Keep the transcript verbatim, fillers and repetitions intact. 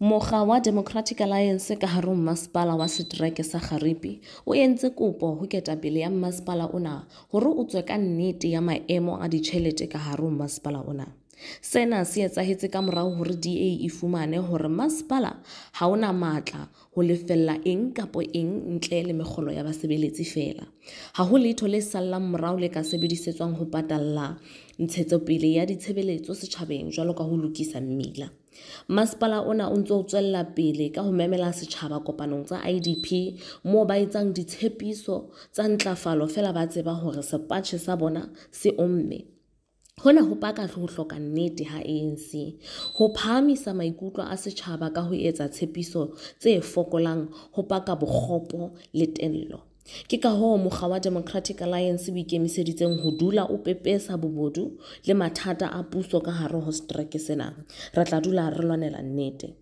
Mokga wa Democratic Alliance ka hare ho masepala wa setereke sa Kgaripi o entse kopo ho ketapele ya masepala ona hore o tswe ka nnete ya maemo a ditjhelete ka hare ho masepala ona. Sena se etsahetse ka morao hore D A e fumane hore masepala ha ona matla ho lefella eng kapa eng ntle le mekgolo ya basebeletsi feela. Ha ho letho le sallang morao le ka sebedisetswang ho patalla ntshetsopele ya ditshebeletso setjhabeng jwalo ka ho lokisa mmila. Masepala ona o ntso o tswella pele ka ho memela setjhaba kopanong tsa I D P moo ba etsang ditshepiso tsa ntlafalo feela ba tseba hore sepatjhe sa bona se omme. Hona ho paka ho hloka nnete ha A N C. Ho phahamisa maikutlo a setjhaba ka ho etsa tshepiso tse fokolang ho paka bokgopo le tello. Ke ka hoo mokga wa Democratic Alliance o ikemiseditseng ho dula o pepesa bobodu le mathata a puso ka hare ho setereke sena. Re tla dula re lwanela nnete.